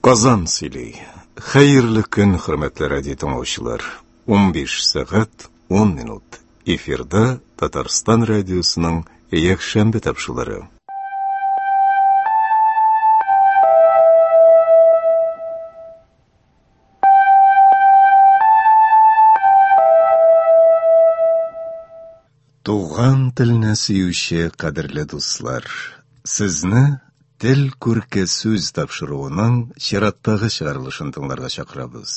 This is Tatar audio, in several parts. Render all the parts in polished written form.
Казан сөйли. Хәерле көн, хөрмәтле радио тыңлаучылар. 15 сәгать 10 минут. Эфирда Татарстан радиосының якшәмбе тапшырулары. Туган телне сөюче кадерле дуслар, сезне Тел күрке сүз тапшыруының чираттагы чыгарылышын тыңларга чакырабыз.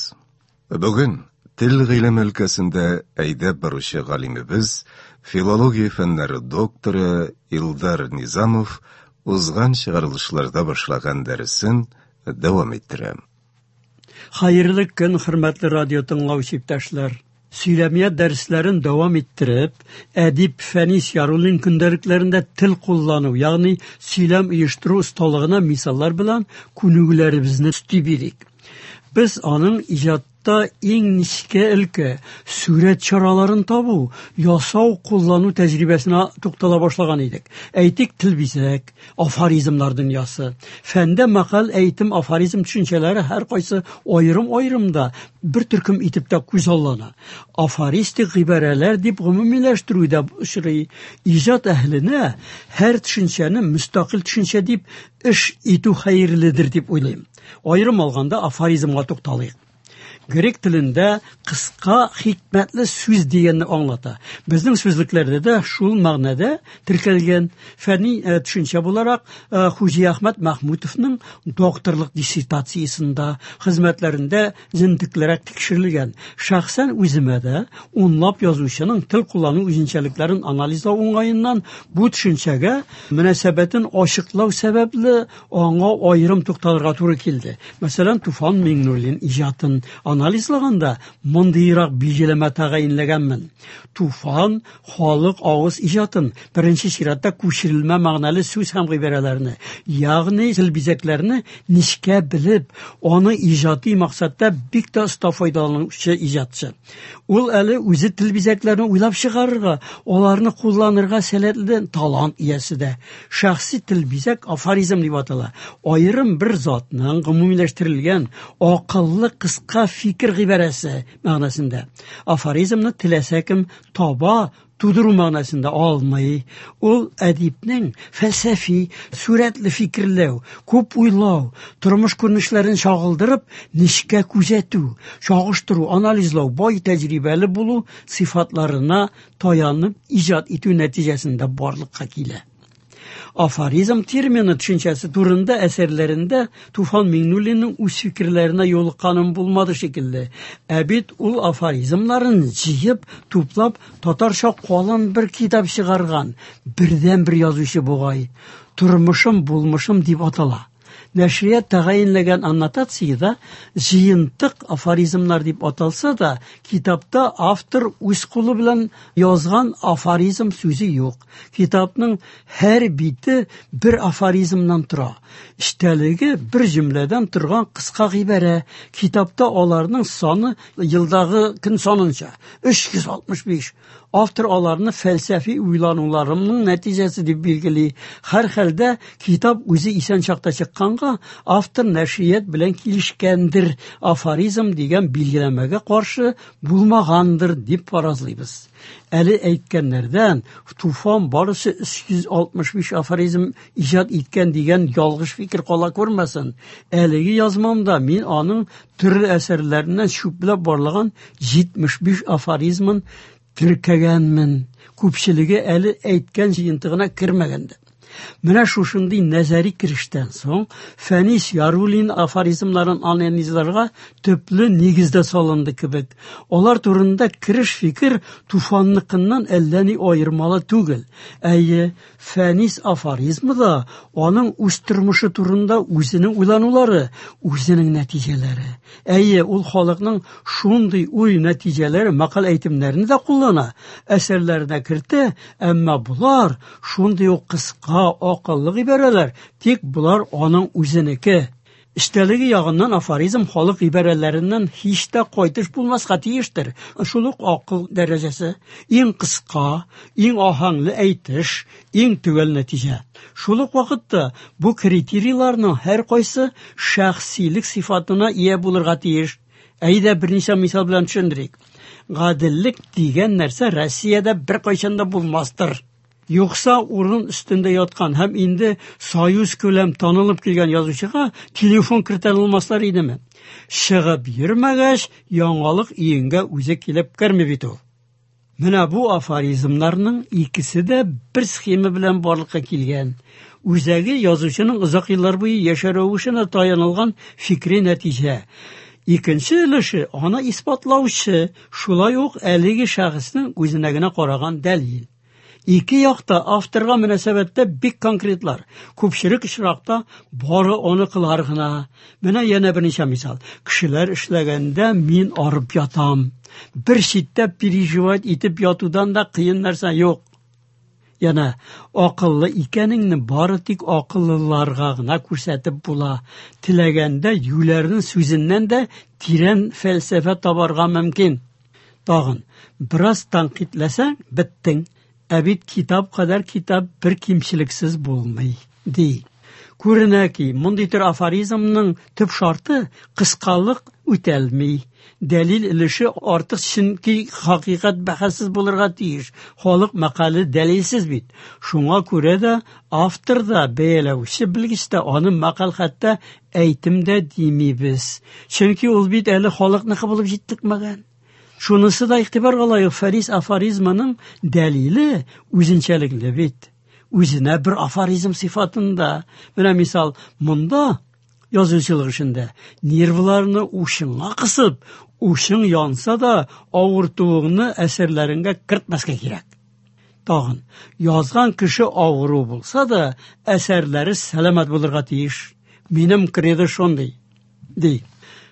Бүген тел гыйлеме өлкәсендә әйдәп баручы галимебез, филология фәннәре докторы Илдар Низамов узган чыгарылышларда башлаган дәресен дәвам иттерә. Хәерле көн, хөрмәтле радио тыңлаучы иптәшләр. Сөйләмият дәресләрен дәвам иттереп, әдип Фәнис Яруллин көндәлекләрендә тел куллану, ягъни сөйләм оештыру осталыгына мисаллар белән күнегүләребезне өсти бирик. Без аның иҗатта иң нечкә өлкә, сурәт чараларын табу, ясау, куллану тәҗрибәсенә туктала башлаган идек. Әйтик, тел бизәк, афоризмнар дөньясы. Фәндә мәкаль, әйтем, афоризм төшенчәләре һәркайсы аерым-аерым да, бер төркем итеп тә күзаллана. Афористик гыйбарәләр дип гомумиләштерү дә очрый. Иҗат әһеленә һәр төшенчәне мөстәкыйль төшенчә дип эш итү хәерледер дип уйлыйм. Аерым алганда афоризмга тукталыйк. Грек телендә кыска хикмәтле сүз дигәнне аңлата. Безнең сүзлекләрдә дә шул мәгънәдә теркәлгән. Фәнни э, төшенчә буларак э, Хуҗи Әхмәт Мәхмүтовның докторлык диссертациясендә, хезмәтләрендә җентеклерәк тикшерелгән. Шәхсән үземә дә унлап язучының тел куллану үзенчәлекләрен анализлау уңаеннан бу төшенчәгә мөнәсәбәтен ачыклау сәбәпле аңа аерым тукталырга туры килде. Мәсәлән, Туфан Миңнуллин иҗатын анализлаганда мондыйрак билгеләмә тәгаенләгәнмен. Туфан халык авыз иҗатын, беренче чиратта күчерелмә мәгънәле сүз һәм гыйбарәләрне, ягъни тел бизәкләрне нечкә белеп, аны иҗади максатта бик тә оста файдаланучы иҗатчы. Ул әле үзе тел бизәкләрен уйлап чыгарырга, аларны кулланырга сәләтле талант иясе дә. Шәхси тел бизәк афоризм дип атала. Аерым бер затның гомумиләштерелгән акыллы кыска фикер гыйбарәсе мәгънәсендә. Афоризмны теләсә кем таба, тудыру мәгънәсендә алмый. Ул әдипнең фәлсәфи, сурәтле фикерләү, күп уйлау, тормыш күренешләрен чагылдырып, нечкә күзәтү, чагыштыру, анализлау, бай тәҗрибәле булу сыйфатларына таянып иҗат итү нәтиҗәсендә барлыкка килә. Афоризм термины төшенчәсе турында әсәрләрендә Туфан Миңнуллинның үз фикерләренә юлыкканым булмады шикелле. Ә бит ул афоризмнарын җыеп, туплап, татарча калын бер китап чыгарган бердәнбер язучы бугай. Тормышым, булмышым дип атала. Нәшрият тәгаенләгән аннотациядә җыентык афоризмнар дип аталса да, китапта автор үз кулы белән язган афоризм сүзе юк. Китапның һәр бите бер афоризмнан тора. Эчтәлеге бер җөмләдән торган кыска гыйбарә. Китапта аларның саны елдагы көн санынча 365. Автор аларны фәлсәфи уйлануларымның нәтиҗәсе дип билгели. Һәрхәлдә китап үзе исән чакта чыкканга, автор нәшрият белән килешкәндер, афоризм дигән билгеләмәгә каршы булмагандыр дип фаразлыйбыз. Әле әйткәннәрдән Туфан барысы 365 афоризм иҗат иткән дигән ялгыш фикер кала күрмәсен. Әлеге язмамда мин аның төрле әсәрләреннән чүпләп барлаган 75 афоризмын теркәгәнмен. Күпчелеге әле әйткән җыентыгына кермәгән дә. Менә шушындый нәзәри керештән соң Фәнис Яруллин афоризмнарын анализларга төпле нигездә салынды кебек. Алар турында кереш фикер Туфанныкыннан әллә ни аермалы түгел. Әйе, Фәнис афоризмы да аның үз тормышы турында үзенең уйланулары, үзенең нәтиҗәләре. Әйе, ул халыкның шундый уй нәтиҗәләре, мәкаль әйтемнәрне дә куллана, әсәрләренә кертә, әмма болар шундый ук кыска, акыллы гыйбарәләр, тик болар аның үзенеке. Эчтәлеге ягыннан афоризм халык гыйбарәләреннән һич тә кайтыш булмаска тиештер. Шул ук акыл дәрәҗәсе, иң кыска, иң аһәңле әйтеш, иң төгәл нәтиҗә. Шул ук вакытта бу критерийларның һәркайсы шәхсилек сыйфатына ия булырга тиеш. Әйдә берничә мисал белән төшендерик. Гаделлек дигән нәрсә Россиядә беркайчан да булмастыр. Юкса урын өстендә яткан һәм инде союз күләм танылып килгән язучыга телефон кертә алмаслар идеме? Чыгып йөрмәгәч, яңалык өеңгә үзе килеп керми бит ул. Менә бу афоризмнарның икесе дә бер схема белән барлыкка килгән. Үзәге язучының озак еллар буе яшәү рәвешенә таянылган фикри нәтиҗә. Икенче өлеше аны исбатлаучы, шулай ук әлеге шәхеснең үзенә генә караган дәлил. Ике якта авторга мөнәсәбәттә бик конкретлар. Күпчелек очракта бары аныкылар гына. Менә янә берничә мисал. Кешеләр эшләгәндә мин арып ятам. Бер читтә переживать итеп ятудан да кыен нәрсә юк. Янә акыллы икәнеңне бары тик акыллыларга гына күрсәтеп була. Теләгәндә юләрнең сүзеннән дә тирән фәлсәфә табарга мөмкин. Тагын бераз тәнкыйтьләсәң, беттең. Ә бит китап кадәр китап бер кимчелексез булмый, ди. Күренә ки, мондый төр афоризмның төп шарты кыскалык үтәлми. Дәлил өлеше артык, чөнки хакыйкать бәхәссез булырга тиеш. Халык мәкале дәлилсез бит. Шуңа күрә дә автор да, бәяләүче белгеч тә аны мәкаль хәтта әйтем дә димибез. Чөнки ул бит әле халыкныкы булып җитлекмәгән. Шунысы да игътибарга лаек, Фәрис афоризмының дәлиле үзенчәлекле бит. Үзенә бер афоризм сыйфатында. Менә мисал, монда язучылык эшендә нервларны учыңа кысып, учың янса да авыртуыңны әсәрләреңгә кертмәскә кирәк. Тагын, язган кеше авыру булса да, әсәрләре сәламәт булырга тиеш. Минем кредо шундый, ди.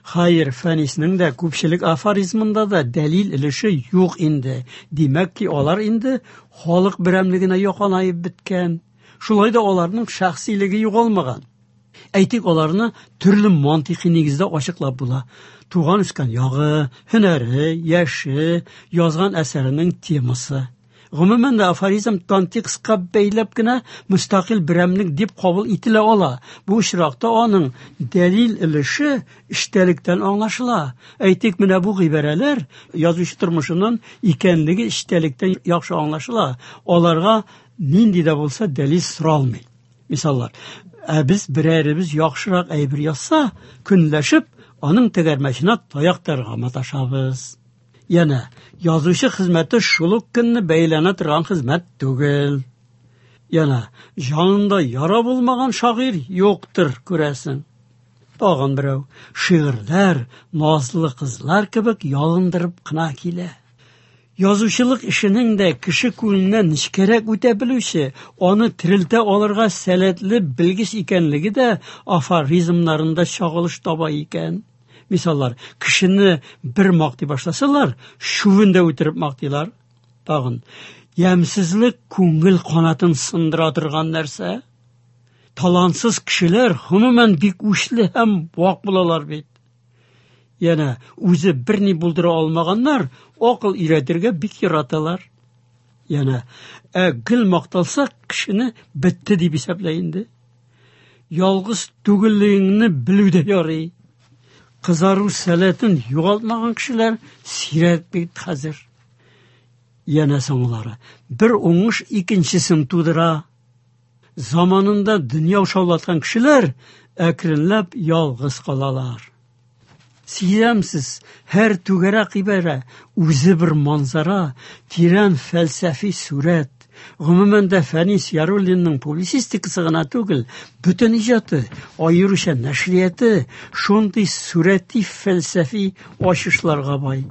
Хәер, Фәниснең дә күпчелек афоризмында да дәлил өлеше юк инде. Димәк ки, алар инде халык берәмлегенә якынаеп беткән. Шулай да аларның шәхсилеге югалмаган. Әйтик, аларны төрле мантыйкый нигездә ачыклап була. Туган үскән ягы, һөнәре, яше, язган әсәренең темасы. Гомумән дә афоризм контекстка бәйләп кенә мөстәкыйль берәмлек дип кабул ителә ала. Бу очракта аның дәлил өлеше эчтәлектән аңлашыла. Әйтик, менә бу гыйбарәләр язучы тормышыннан икәнлеге эчтәлектән яхшы аңлашыла. Аларга нинди дә булса дәлил соралмый. Мисаллар, ә без берәребез яхшырак әйбер язса, көнләшеп, аның тәгәрмәченә таяк тыгарга маташабыз. Янә, язучы хезмәте шул ук көнне бәйләнә торган хезмәт түгел. Янә, җанында яра булмаган шагыйрь юктыр, күрәсең. Тагын берәү, шигырьләр назлы кызлар кебек ялындырып кына килә. Язучылык эшенең дә кеше күңеленнән нечкәрәк үтә белүче, аны терелтә алырга сәләтле белгеч икәнлеге дә афоризмнарында чагылыш таба икән. Мисаллар, кешене бер мактый башласалар, чүбен дә үтереп мактыйлар. Тагын, ямьсезлек күңел канатын сындыра торган нәрсә. Талантсыз кешеләр гомумән бик үчле һәм вак булалар бит. Янә үзе берни булдыра алмаганнар акыл өйрәтергә бик яраталар. Янә, ә гел макталса, кешене бетте дип исәплә инде. Ялгыз түгеллегеңне белү дә ярый. Кызару сәләтен югалтмаган кешеләр сирәк бит хәзер. Янә соңгылары, бер уңыш икенчесен тудыра. Заманында дөнья шаулаткан кешеләр әкренләп ялгыз калалар. Сизәмсез, һәр түгәрәк гыйбарә үзе бер манзара, тирән фәлсәфи сурәт. Гомумән дә Фәнис Яруллинның публицистикасы гына түгел, бөтен иҗаты, аеруча нәшрияты шундый сурәти фәлсәфи ачышларга бай.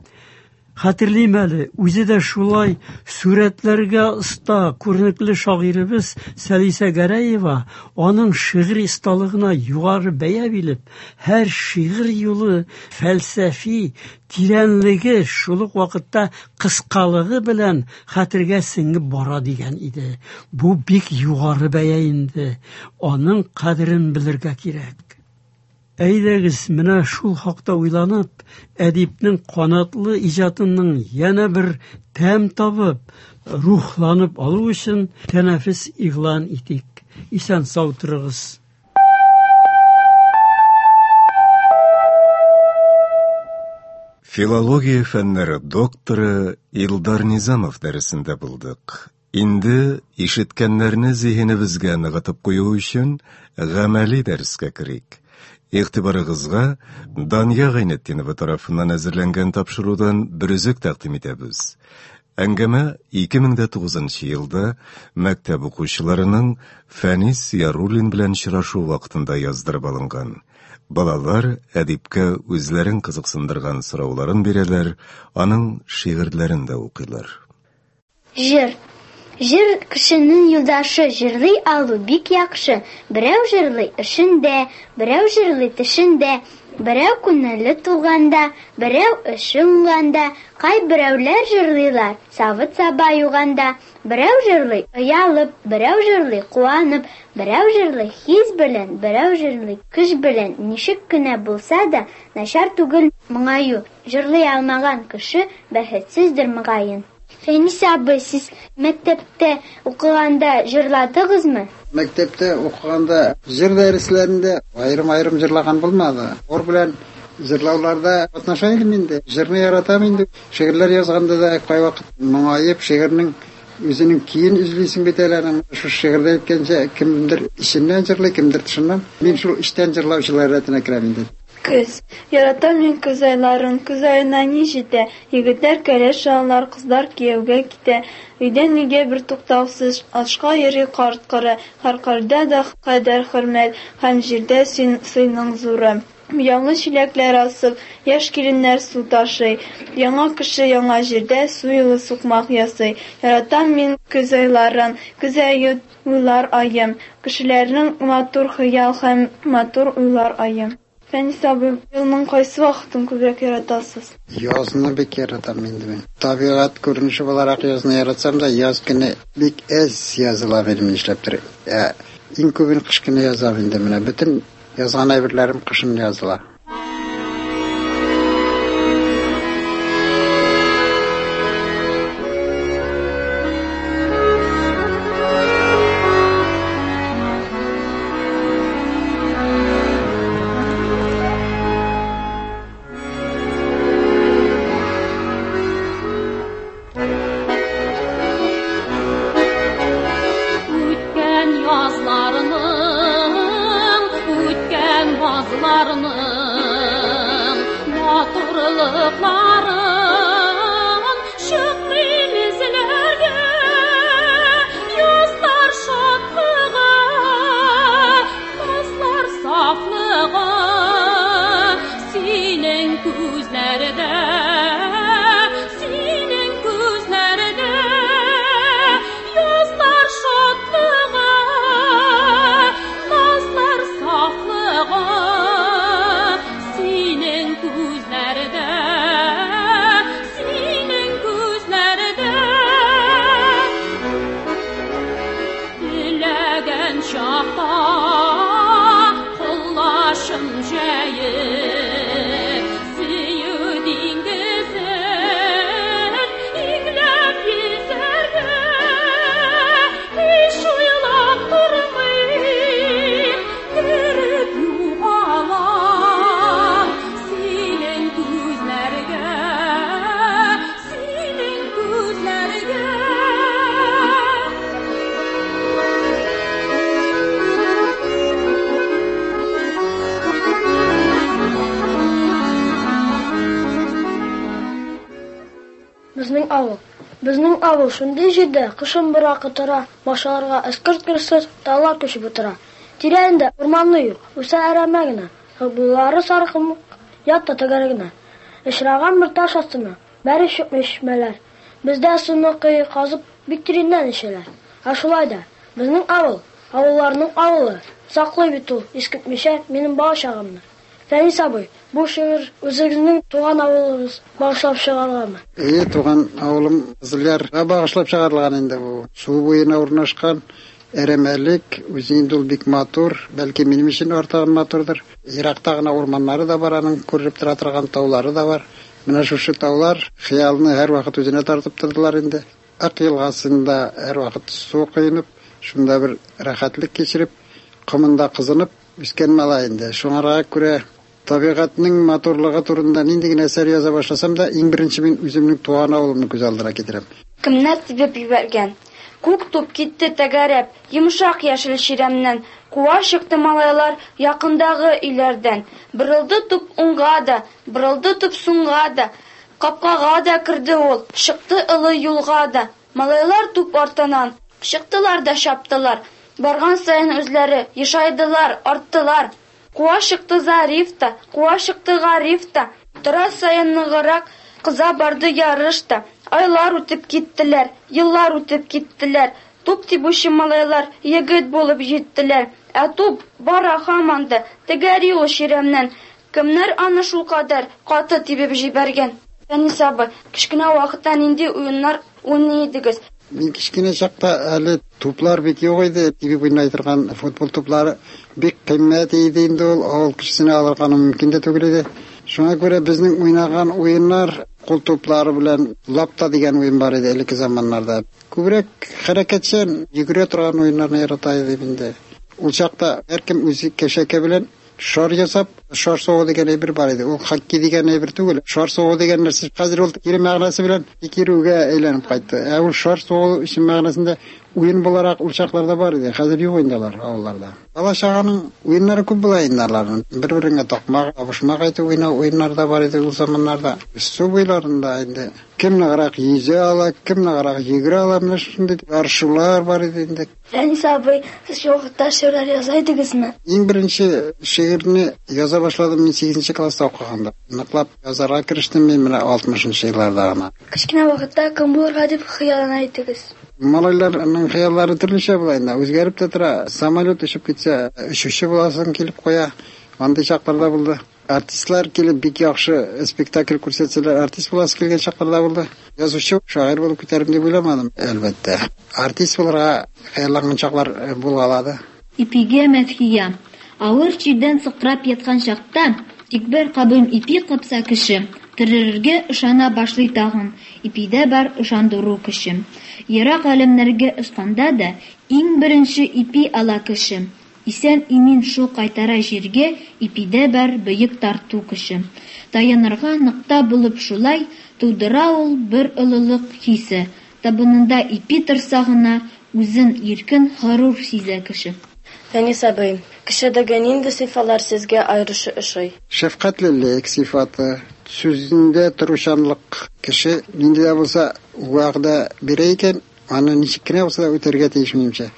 Хәтерлим әле, үзе дә шулай сурәтләргә оста күренекле шагыйребез Сәлисә Гәрәева аның шигъри осталыгына югары бәя биреп, һәр шигырь юлы фәлсәфи тирәнлеге, шул ук вакытта кыскалыгы белән хәтергә сеңеп бара дигән иде. Бу бик югары бәя инде. Аның кадерен белергә кирәк. Әйдәгез, менә шул хакта уйланып, әдипнең канатлы иҗатының янә бер тәм табып, рухланып алу өчен тәнәфес игълан итик. Исән сау торыгыз. Филология фәннәре докторы Илдар Низамов дәресендә булдык. Инде ишеткәннәрне зиһенебезгә ныгытып кую өчен гамәли дәрескә керик. Игътибарыгызга Дания Гайнетдинова тарафыннан әзерләнгән тапшырудан бер өзек тәкъдим итәбез. Әңгәмә 2009 елда мәктәп укучыларының Фәнис Яруллин белән очрашу вакытында яздырып алынган. Балалар әдипкә үзләрен кызыксындырган сорауларын бирәләр, аның шигырьләрен дә укыйлар. Җыр. Җыр кешенең юлдашы, җырлый алу бик яхшы. Берәү җырлый эшендә, берәү җырлый төшендә, берәү күңеле тулганда, берәү эше уңганда, кайберәүләр җырлыйлар савыт-саба юганда, берәү җырлый оялып, берәү җырлый куанып, берәү җырлый хис белән, берәү җырлый көч белән. Ничек кенә булса да, начар түгел моңаю. Җырлый алмаган кеше бәхетсездер мөгаен. Фәнис абый, сез мәктәптә укыганда җырладыгызмы? Мәктәптә укыганда җыр дәресләрендә аерым-аерым җырлаган булмады. Хор белән җырлауларда катнаша идем инде. Җырны яратам инде. Шигырьләр язганда да кайвакыт моңаеп, шигырьнең үзенең көен эзлисең бит әле аның. Шушы шигырьдә әйткәнчә, кемдер эченнән җырлый, кемдер тышыннан. Мин шул эчтән җырлаучылар рәтенә керәм инде. Көз. Яратам мин көз айларын, Көз аена ни җитә? Егетләр кәләш алалар, Кызлар кияүгә китә. Өйдән өйгә бертуктаусыз Ашка йөри карт-коры. Һәркайда да кадер-хөрмәт Һәм җирдә син сыйның зуры. Буяулы чиләкләр асып, Яшь киленнәр су ташый. Яңа кеше яңа җирдә Су юлы сукмак ясый. Яратам мин көз айларын, Көз ае уйлар аем. Кешеләрнең матур хыял һәм матур уйлар ае. Фәнис абый, елның кайсы вакытын күбрәк яратасыз? Язны бик яратам инде мин. Табигать күренеше буларак язны яратсам да, яз көне бик әз языла минем нишләптер. Ә иң күбен кыш көне язам инде менә. Бөтен язган әйберләрем кышын языла. Үткән язларның, үткән базларның матурлыкларын чыкмыйм эзләргә. Язлар шатлыгы, назлар сафлыгы синең күзләрдә, синең күзләрдә. Язлар шатлыгы, назлар сафлыгы синең күзләрдә, синең күзләрдә. Теләгән чакта колачым җәеп, сөю диңгезен иңләп йөзәргә. Һич уйлап тормыйм, кереп югалам синең күзләргә, синең күзләргә. Безнең авыл. Безнең авыл шундый җирдә, кышын быракы тора, башаларга эскерт керсез, таллар төшеп утыра. Тирәндә урманы юк, үсә әрәмә генә. Булары саркым, ят та тәгәр генә. Очраган бер таш астына, бәре чыкмый чишмәләр. Бездә суны кое казып, бик тирәннән эчәләр. Ә шулай да, безнең авыл, авылларның авылы, саклый бит ул, искитмичә, минем бала чагымны. Фәнис абый, бу шигырь үзегезнең туган авылыгыз багышлап чыгарылганмы? Әйе, туган авылым Кызылъярга багышлап чыгарылган инде бу. Су буена урнашкан. Әрәмәлек, үзе инде ул бик матур, бәлки минем өчен артыгын матурдыр. Еракта гына урманнары да бар аның, күренеп тора торган таулары да бар. Менә шушы таулар хыялны һәрвакыт үзенә тартып тордылар инде. Ык елгасында һәрвакыт су коенып, шунда бер рәхәтлек кичереп, комында кызынып үскән малай инде. Шуңарга күрә табигатьнең матурлыгы турында нинди генә әсәр яза башласам да, иң беренче мин үземнең туган авылымны күз алдына китерәм. Кемнәр тибеп җибәргән? Күк туп китте тәгәрәп, йомшак яшел чирәмнән. Куа чыкты малайлар якындагы өйләрдән. Борылды туп уңга да, борылды туп сулга да. Капкага да керде ул, чыкты олы юлга да. Малайлар туп артыннан чыктылар да чаптылар. Барган саен үзләре ешайдылар, арттылар. Куа чыкты Зариф та, куа чыкты Гариф та. Тора саен ныграк кыза барды ярыш та. Айлар үтеп киттеләр, еллар үтеп киттеләр. Туп тибүче малайлар егет булып җиттеләр. Ә туп бара һаман да, тәгәри ул чирәмнән. Кемнәр аны шулкадәр каты тибеп җибәргән? Фәнис абый, кечкенә вакытта нинди уеннар уйный идегез? Мин кечкенә чакта әле туплар бик юк иде. Тибеп уйный торган футбол туплары бик кыйммәт иде инде ул. Авыл кешесенә алырга мөмкин дә түгел иде. Шуңа күрә безнең уйнаган уеннар кул туплары белән лапта дигән уен бар иде элекке заманнарда. Күбрәк хәрәкәтчән, йөгерә торган уеннарны ярата идем инде. Ул чакта һәркем үзе кәшәкә белән шар ясап, шар сугу дигән әйбер бар иде. Ул хоккей дигән әйбер түгел. Шар сугу дигән нәрсә хәзер ул кире мәгънәсе белән кирүгә әйләнеп кайтты. Ә ул шар сугу чын мәгънәсендә уен буларак ул чакларда бар иде. Хәзер юк инде алар авылларда. Бала чаганың уеннары күп була инде аларның. Бер-береңә такмак, табышмак әйтеп уйнау уеннары да бар иде ул заманнарда. Су буйларында инде кем ныграк йөзә ала, кем ныграк йөгерә ала, менә шундый ярышулар бар иде инде. Фәнис абый, сез шул вакытта шигырьләр яза идегезме? Иң беренче шигырьне яза башладым мин 8 класста укыганда. Ныклап язарга керештем мин менә 60 елларда гына. Кечкенә вакытта кем булырга дип хыяллана идегез? Малайларның хыяллары төрлечә була инде, үзгәреп тә тора. Самолет очып китсә, очучы буласың килеп куя. Андый чаклар да булды. Артистлар килеп бик яхшы спектакль күрсәтсәләр, артист буласы килгән чаклар да булды. Язучы, шагыйрь булып китәрем дип уйламадым, әлбәттә. Артист булырга хыялланган чаклар булгалады. Ипигә мәдхия. Авыр чирдән сыкрап яткан чакта, тик бер кабым ипи капса кеше, терелергә ышана башлый тагын, ипидә бар ышандыру көче. Ерак галәмнәргә очканда да, иң беренче ипи ала кеше. Исән-имин шул кайтара җиргә, ипидә бар бөек тарту көче. Таянырга нокта булып шулай, тудыра ул бер олылык хисе. Табынында ипи торса гына, үзен иркен, горур сизә кеше. Фәнис абый, кешедәге нинди сыйфатлар сезгә аеруча ошый? Шәфкатьлелек сыйфаты, сүзендә торучанлык. Кеше нинди дә булса вәгъдә бирә икән, аны ничек кенә булса да үтәргә тиеш минемчә.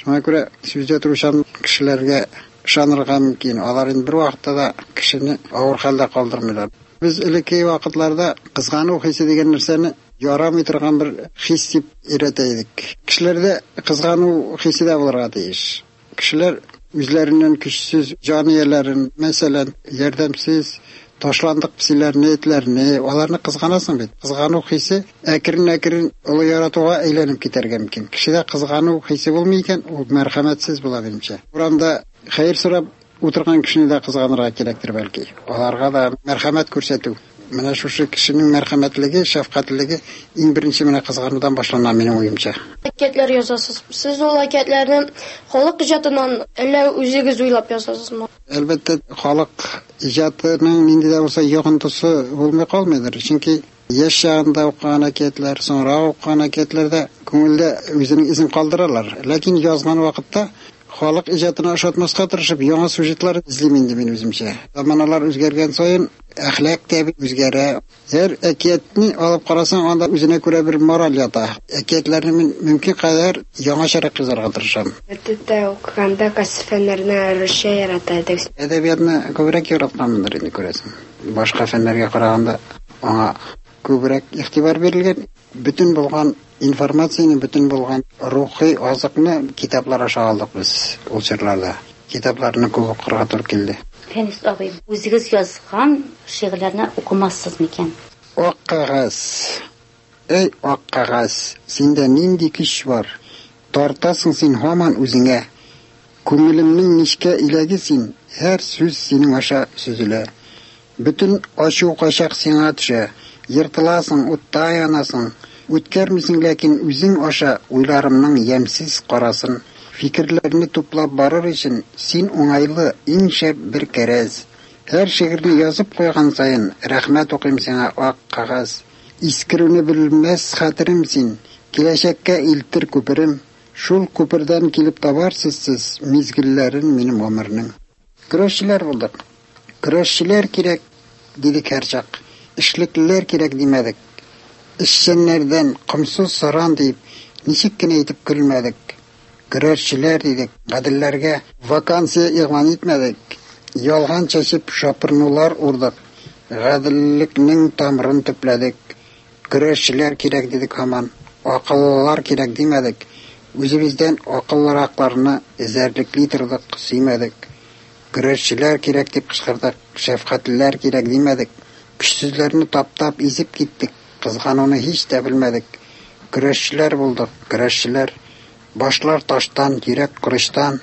Шуңа күрә сүздә торучан кешеләргә ышанырга мөмкин. Алар инде бер вакытта да кешене авыр хәлдә калдырмыйлар. Без элекке вакытларда кызгану хисе дигән нәрсәне ярамый торган бер хис дип өйрәтә идек. Кешеләрдә кызгану хисе дә булырга тиеш. Кешеләр үзләреннән көчсез җан ияләрен, мәсәлән, ярдәмсез ташландык песиләрне, этләрне, аларны кызганасың бит. Кызгану хисе әкрен-әкрен олы яратуга әйләнеп китәргә мөмкин. Кешедә кызгану хисе булмый икән, ул мәрхәмәтсез була минемчә. Урамда хәер сорап утырган кешене дә кызганырга кирәктер бәлки. Аларга да мәрхәмәт күрсәтү. Менә шушы кешенең мәрхәмәтлеге, шәфкатьлелеге иң беренче менә кызганудан башлана минем уемча. Әкиятләр язасыз. Сез ул әкиятләрне халык иҗатыннан әллә үзегез уйлап язасызмы? Әлбәттә, халык иҗатының нинди дә булса йогынтысы булмый калмыйдыр. Чөнки яшь чагында укыган әкиятләр, соңрак укыган әкиятләр дә күңелдә үзенең изен калдыралар. Ләкин язган вакытта халык иҗатына ошатмаска тырышып, яңа сюжетлар эзлим инде мин үземчә. Заманалар үзгәргән саен әхлак та үзгәрә. Һәр әкиятне алып карасаң, анда үзенә күрә бер мораль ята. Әкиятләрне мин мөмкин кадәр яңачарак язарга тырышам. Мәктәптә укыганда кайсы фәннәрне аеруча ярата идегез? Әдәбиятны күбрәк яратканмындыр инде, күрәсең. Башка фәннәргә караганда аңа күбрәк игътибар бирелгән. Бөтен булган информацияне, бөтен булган рухи азыкны китаплар аша алдык без ул чорларда. Китапларны күп укырга туры килде. Фәнис абый, үзегез язган шигырьләрне укымассыз микән? Ак кәгазь. Эй, ак кәгазь, синдә нинди көч бар? Тартасың син һаман үзеңә. Күңелемнең нечкә иләге син, һәр сүз синең аша сөзелә. Бөтен ачу кайчак сиңа төшә. Ертыласың, утта янасың. Үткәрмисең ләкин үзең аша уйларымның ямьсез карасын. Фикерләрне туплап барыр өчен син уңайлы, иң шәп бер кәрәз. Һәр шигырьне язып куйган саен рәхмәт укыйм сиңа, ак кәгазь. Искерүне белмәс хәтерем син, киләчәккә илтер күперем. Шул күпердән килеп табарсыз сез мизгелләрен минем гомернең. Көрәшчеләр булдык. Көрәшчеләр кирәк, дидек һәрчак. Эшлеклеләр кирәк димәдек. Эшчәннәрдән комсыз саран диеп, ничек кенә итеп көлмәдек. Көрәшчеләр дидек, гаделләргә вакансия игълан итмәдек. Ялган чәчеп шапырынулар урдык. Гаделлекнең тамырын төпләдек. Көрәшчеләр кирәк дидек һаман. Акыллылар кирәк димәдек. Үзебездән акыллыракларны эзәрлекли тордык, сөймәдек. Көрәшчеләр кирәк дип кычкырдык, шәфкатьлеләр кирәк димәдек. Көчсезләрне таптап, изеп киттек, кызгануны һич тә белмәдек. Көрәшчеләр булдык, көрәшчеләр. Башлар таштан, йөрәк корычтан.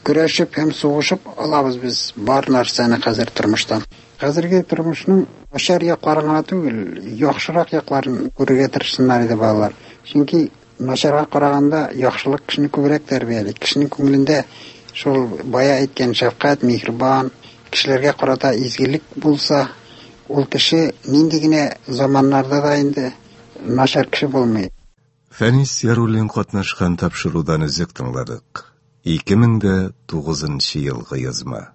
Көрәшеп һәм сугышып алабыз без бар нәрсәне хәзер тормыштан. Хәзерге тормышның начар якларын гына түгел, яхшырак якларын күрергә тырышсыннар иде балалар. Чөнки начарга караганда яхшылык кешене күбрәк тәрбияли. Кешенең күңелендә шул бая әйткән шәфкать, миһербан, кешеләргә карата изгелек булса, ул кеше нинди генә заманнарда да инде начар кеше булмый. Фәнис Яруллин катнашкан тапшырудан өзек тыңладык. 2009 елгы язма.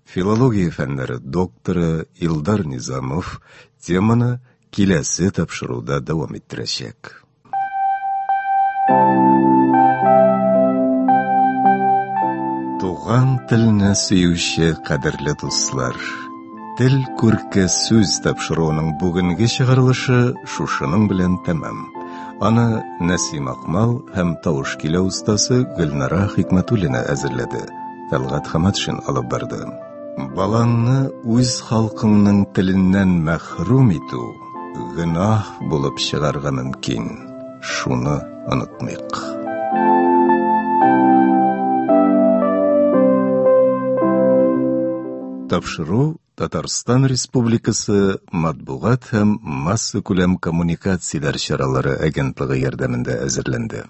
Филология фәннәре докторы Илдар Низамов теманы киләсе тапшыруда дәвам иттерәчәк. Туган телне сөюче кадерле дуслар! Тел күрке сүз тапшыруының бүгенге чыгарылышы шушының белән тәмам. Аны Нәсим Акмал һәм тавыш көйләү остасы Гөлнара Хикмәтуллина әзерләде. Тәлгать Хаматшин алып барды. Балаңны үз халкыңның теленнән мәхрүм итү гөнаһ булып чыгарга мөмкин. Шуны онытмыйк. Тапшыру Татарстан Республикасы матбугат һәм массакүләм коммуникацияләр чаралары агентлыгы ярдәмендә әзерләнде.